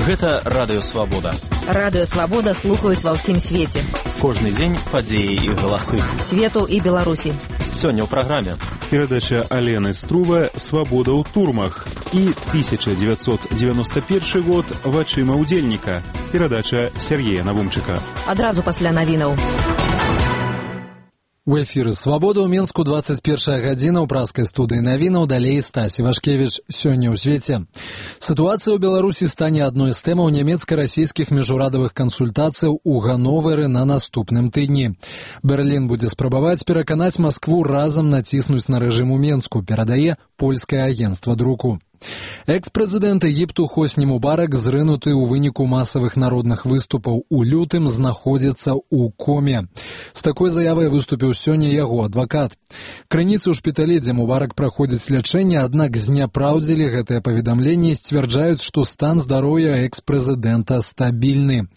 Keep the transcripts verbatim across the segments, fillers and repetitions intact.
Гэта Радыё Свабода. Радыё Свабода слухаюць ва ўсім свеце. Кожны дзень падзеі і галасы. Свету і Беларусі. Сёння ў праграме. Перадача Алены Струва «Свабода ў турмах» і тысяча дзевяцьсот дзевяносто першы год «Вачыма ўдзельніка». Перадача Сергея Навумчыка. Адразу пасля навінаў. У эфіры «Свабода» ў Мінску двадцать первая гадзіна ў праскай студыі навінаў, далей Стасі Вашкевіч. Сёння ў свеце. Сітуацыя ў Беларусі стане адной з тэмаў нямецка-расійскіх міжурадавых кансультацыяў у Ганновары на наступным тыдні. Берлін будзе спрабаваць пераканаць Маскву разам націснуць на рэжым у Менску, перадае польскае агенцтва друку. Экс-прэзідэнт Егіпту Хосні Мубарак, зрынуты ў выніку масавых народных выступаў у лютым, знаходзіцца ў коме. З такой заявай выступіў сёння яго адвакат. Крыніцы ў шпіталі, дзе Мубарак праходзіць лячэнне, аднак зняпраўдзілі гэтае паведамленне і сцвярджаюць, што стан здароўя экс-прэзідэнта стабільны.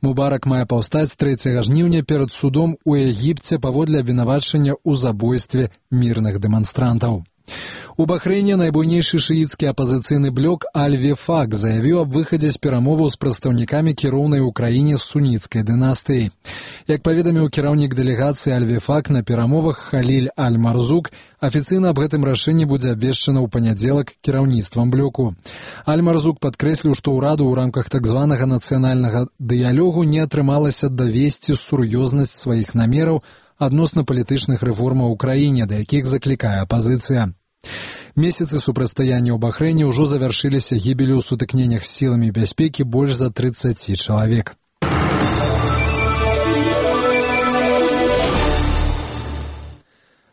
Мубарак мае паўстаць трэцяга жніўня перад судом у Егіпце паводле абвінавачання ў забойстве мірных дэманстрантаў. У Бахрэйне найбуйнейшы шыіцкі апазіцыйны блок Аль-Вефак заявіў аб выхадзе з перамоваў з прадстаўнікамі кіроўнай у краіне з суніцкай дынастыі. Як паведаміў кіраўнік дэлегацыі Аль-Вефак на перамовах Халіль Аль-Марзук, афіцыйна аб гэтым рашэнні будзе абвешчана ў панядзелак кіраўніцтвам блоку. Аль-Марзук падкрэсліў, што ўраду ў рамках так званага нацыянальнага дыялогу не атрымалася давесці сур'ёзнасць сваіх намераў адносна палітычных рэформаў у краіне, да якіх заклікае апазіцыя. Месяцы супрацьстаяння ў Бахрэйне ўжо завяршыліся гібелю ў сутыкненнях з сіламі бяспекі больш за трыццаць чалавек.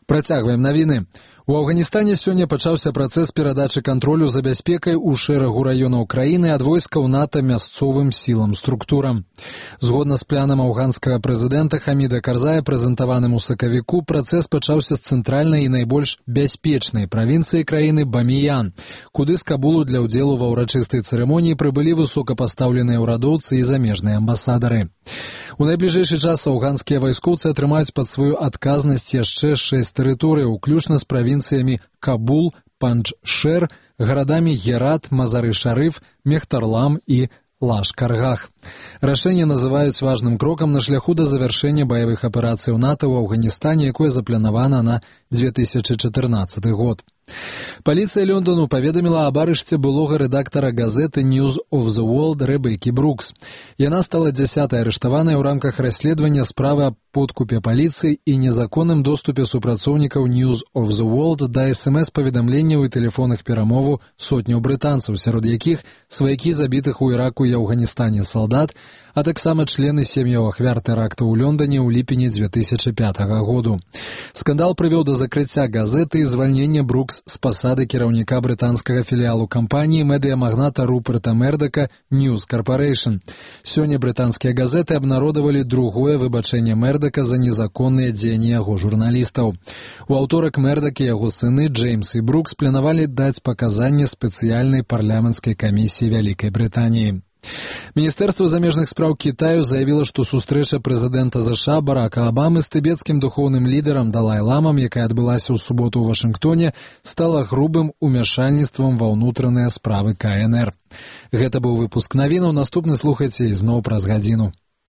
Працягваем навіны. У Афганістане сёння пачаўся працэс перадачы кантролю за бяспекай у шэрагу раёнаў краіны ад войскаў НАТО мясцовым сілам структурам. Згодна з планам афганскага прэзідэнта Хаміда Карзая, прэзентаваным у сакавіку, працэс пачаўся з цэнтральнай і найбольш бяспечнай правінцыі краіны Баміян, куды з Кабулу для ўдзелу ва ўрачыстай цырымоніі прыбылі высокапастаўленыя ўрадоўцы і замежныя амбасадары. У найбліжэйшы час афганскія вайскоўцы атрымаюць пад сваю адказнасць яшчэ шэсць тэрыторый, уключна з правінцыямі Кабул, Панджшэр, гарадамі Герат, Мазары-Шарыф, Мехтарлам і Лашкаргах. Рашэнне называюць важным крокам на шляху да завяршэння баявых аперацый НАТО ў Афганістане, якое запланавана на две тысячы чатырнаццаты год. Паліцыя Лондону паведаміла аб арышце былога рэдактара газеты News of the World Рэбеккі Брукс. Яна стала дзясятай арыштаванай у рамках расследавання справы аб подкупе паліцыі і незаконным доступе супрацоўнікаў News of the World да эс эм эс-паведамленняў і тэлефонных перамоваў сотняў брытанцаў, сярод якіх сваякі забітых у Іраку і Афганістане салдат, а таксама члены сем'яў ахвяр тэракту ў Лондоне ў ліпені две тысячы пятага году. Скандал прывёў да закрыцця газеты і звальнення Брукс з пасады кіраўніка брытанскага філіалу кампаніі медыямагната Руперта Мердака News Corporation. Сёння брытанскія газеты абнародавалі другое выбачэнне Мердака за незаконныя дзеянні яго журналістаў. У аўторак Мердак і яго сыны Джеймс і Брукс планавалі даць паказанне спецыяльнай парламенцкай камісіі Вялікай Брытаніі. Міністэрства замежных спраў Кітаю заявіла, што сустрэча прэзідэнта ЗША Барака Абамы з тыбецкім духоўным лідарам Далай-ламам, якая адбылася ў суботу ў Вашынгтоне, стала грубым умяшальніцтвам ва ўнутраныя справы ка эн эр. Гэта быў выпуск навінаў, наступны слухайце ізноў праз гадзіну.